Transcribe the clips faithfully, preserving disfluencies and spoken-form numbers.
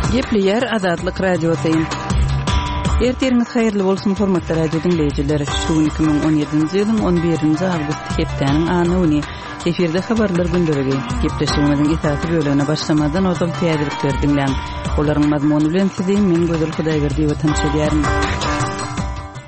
Gepleýär Azatlyk Radiosy. Ertiriňiz haýyrly bolsun, hormatly radio diňleýjiler. Şu gün iki müň on ýedinji ýylyň on birinji awgusty hepdäniň anna güni. Efirde habarlar gündeligi. Gepleşigimiziň esasy bölegine başlamazdan ozal täzelikleri diňläň. Olaryň mazmuny bilen sizi men Gözel Hudaýberdiýewa tanyş edýärin.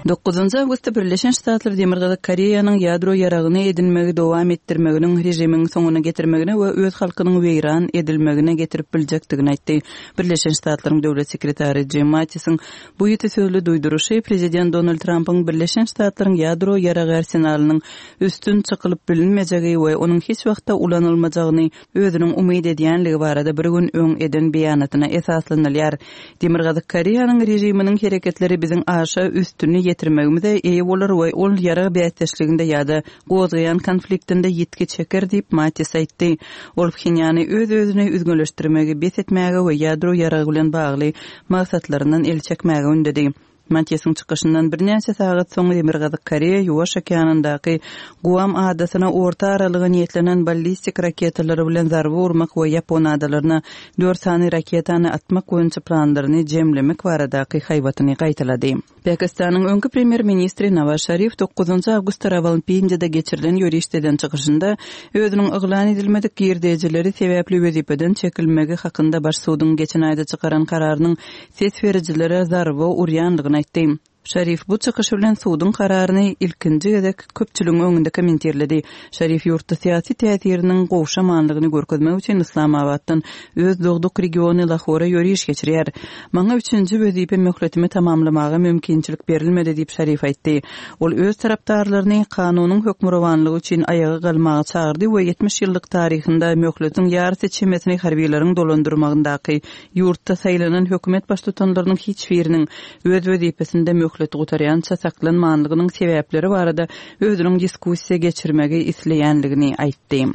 Dokuzynjy awgustda Birleşen Ştatlar Demirgazyk Koreýanyň ýadro ýaragyny edinmegi dowam etdirmeginiň režimiň soňuna getirmegine we öz halkynyň weýran edilmegine getirip biljekdigini aýtdy. Birleşen Ştatlaryň döwlet sekretary Jim Mattisiň bu ýiti sözli duýduryşy prezident Donald Trampyň Birleşen Ştatlaryň ýadro ýaragy arsenalynyň üstün çykylyp bilinmejegi we onuň hiç wagtda ulanylmajagyny özüniň umyt edýänligi barada bir gün öň eden beýanatyna esaslanylýar. Demirgazyk Koreýanyň režiminiň hereketleri biziň aşa üstüni ýetirmegimize eýe bolar we ol ýarag bäsdeşliginde ýa-da gozgaýan konfliktinde ýitgi çeker diýip Mattis aýtdy. Ol Phenýany öz-özüni üzňeleşdirmegi bes etmäge we ýadro ýaragy bilen bagly maksatlaryndan el çekmäge ündedi. Mattisiň çykyşyndan birnäçe sagat soň Demirgazyk Koreýa Ýuwaş okeanyndaky Guam adasyna orta aralyga niýetlenen ballistik raketalary bilen zarba urmak we Ýapon adalaryna dört sany raketany atmak boýunça planlaryny jemlemek baradaky haýbatyny gaýtalady. Pakistanyň öňki premýer-ministri Nawaz Şarif dokuzynjy awgustda Rawalpindide geçirilen ýörişdeden çykyşynda özüniň yglan edilmedik girdejileri sebäpli wezipeden çekilmegi hakynda baş suduň geçen aýda çykaran kararynyň ses berijilere zarba urýanlygyny aýtdy. Şarif bu çykyşy bilen suduň kararyny ilkinji gezek köpçüligiň öňünde kommentirledi. Şarif ýurtda syýasy täsiriniň gowşamanlygyny görkezmek üçin Islamabatdan öz dogduk regiony Lahora ýöriş geçirýär. Maňa üçünji wezipe möhletimi tamamlamaga mümkinçilik berilmedi diýip Şarif aýtdy. Ol öz tarapdarlaryny kanunyň hökmürowanlygy üçin aýaga galmaga çagyrdy we ýetmiş ýyllyk taryhynda möhletiň ýarysy çemesini harbiýlaryň dolandyrmagyndaky ýurtda saýlanan hökümet baştutanlarynyň hiç biriniň öz wezipesinde möhleti gutarýança saklanmanlygynyň sebäpleri barada özüniň diskussiýa geçirmegi isleýänligini aýtdy.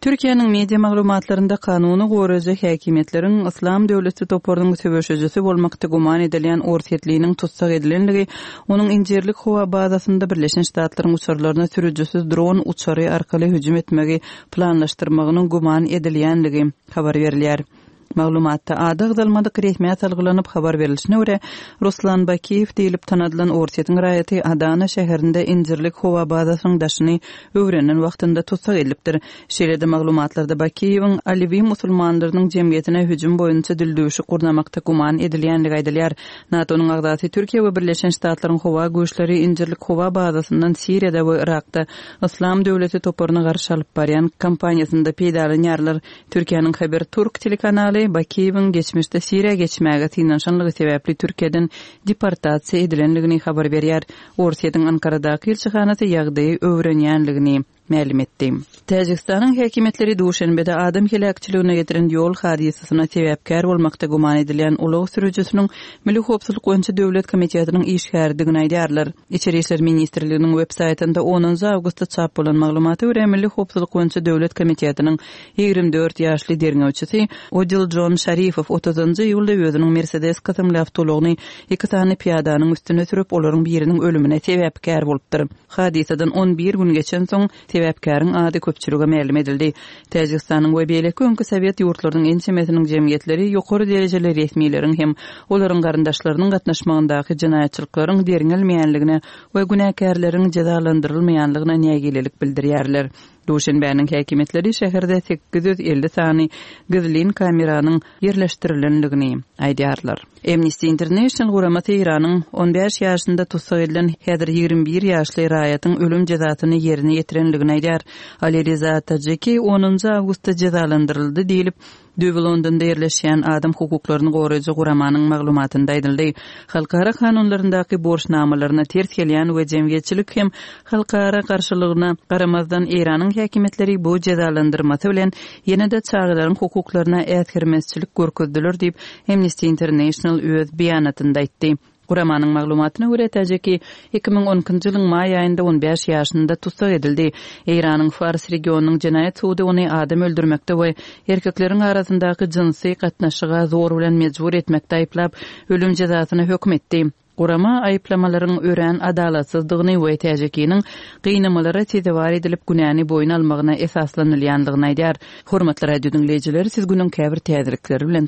Türkiýäniň media maglumatlarynda kanuny goraýjy häkimiýetleriň Yslam döwleti toparynyň söweşijisi bolmakda güman edilýän Orsýetliniň tussag edilenligi, onuň Injirlik howa bazasynda Birleşen Ştatlaryň uçarlaryna sürüjisiz dron uçary arkaly hüjüm etmegi planlaşdyrmagynyň güman edilýänligi habar berilýär. Maglumatda ady agzalmadyk resmiýet salgylanyp habar berilişine görä, Ruslan Bakiýew diýlip tanadylan Orsýetiň raýaty Adana şäherinde Injirlik howa bazasynyň daşyny öwrenen wagtynda tussag edilipdir. Şeýle-de maglumatlarda Bakiýewiň Alewi musulmanlarynyň jemgyýetine hüjüm boýunça dildüwşük gurnamakda güman edilýänligi aýdylýar. NATO-nyň agzasy Türkiýe we Birleşen Ştatlaryň howa güýçleri Injirlik howa bazasyndan Siriýada we Irakda Yslam döwleti toparyna garşy alyp barýan kampaniýasynda peýdalanýarlar. Türkiýäniň Haber Türk telekanaly Bakiýewiň geçmişde Siriýa geçmäge synanyşanlygy sebäpli Türkiýeden deportasiýa edilenligini habar berýär. Orsýetiň Ankaradaky ilçihanasy ýagdaýy öwrenýänligini mälim etdi. Täjigistanyň häkimiýetleri Duşenbede adam heläkçiligine getiren ýol hadysasyna sebäpkär bolmakda güman edilýän ulag sürüjisiniň Milli howpsuzlyk boýunça döwlet komitetiniň işgäridigini aýdýarlar. Içeri işler ministrliginiň web saýtynda onunjy awgustda çap bolan maglumata görä, Milli howpsuzlyk boýunça döwlet komitetiniň ýigrimi dört ýaşly derňewçisi Odiljon Şarifow otuzynjy iýulda özüniň Mercedes kysymly awtoulagyny iki sany pyýadanyň üstüne sürüp, olaryň biriniň ölümine sebäpkär bolupdyr. Hadysadan on bir gün geçensoň, sebäpkäriň ady köpçülige mälim edildi. Täjigistanyň we beýleki öňki sowet ýurtlarynyň ençemesiniň jemgyýetleri ýokary derejeli resmileriň hem olaryň garyndaşlarynyň gatnaşmagyndaky jenaýatçylyklaryň derňelmeýänligine we günäkärleriň jezalandyrylmaýanlygyna nägilelik bildirýärler. Duşenbäniň häkimiýetleri şäherde sekiz ýüz elli sany gizlin kameranyň ýerleşdirilenligini aýdýarlar. Amnesty International guramasy Eýranyň on bäş ýaşynda tussag edilen häzir ýigrimi bir ýaşly raýatyň ölüm jezasyny ýerine ýetirenligini aýdýar. Ali Riza Tajiki onunjy awgustda jezalandyryldy diýlip, Düýbi Londonda ýerleşýän adam hukuklaryny goraýjy guramanyň maglumatynda aýdyldy. Halkara kanunlaryndaky borçnamalaryna ters gelýän we jemgyýetçilik hem halkara garşylygyna garamazdan Eýranyň häkimiýetleri bu jezalandyrmasy bilen ýene-de çagalaryň hukuklaryna äsgermezçilik görkezdiler diýip Amnesty International öz beýanatynda aýtdy. Guramanyň maglumatyna görä, Täjiki iki müň on ikinji ýylyň maý aýynda on bäş ýaşynda tussag edildi. Eýranyň Fars regionynyň jenaýat sudy ony adam öldürmekde we erkekleriň arasyndaky jynsy gatnaşyga zor bilen mejbur etmekde aýyplap, ölüm jezasyna höküm etdi. Gurama aýyplamalaryň örän adalatsyzdygyny we Täjikiniň gynamalara sezewar edilip günäni boýun almagyna esaslanylýandygyny aýdýar. Hormatly radio diňleýjiler, siz günüň käbir täzelikleri bilen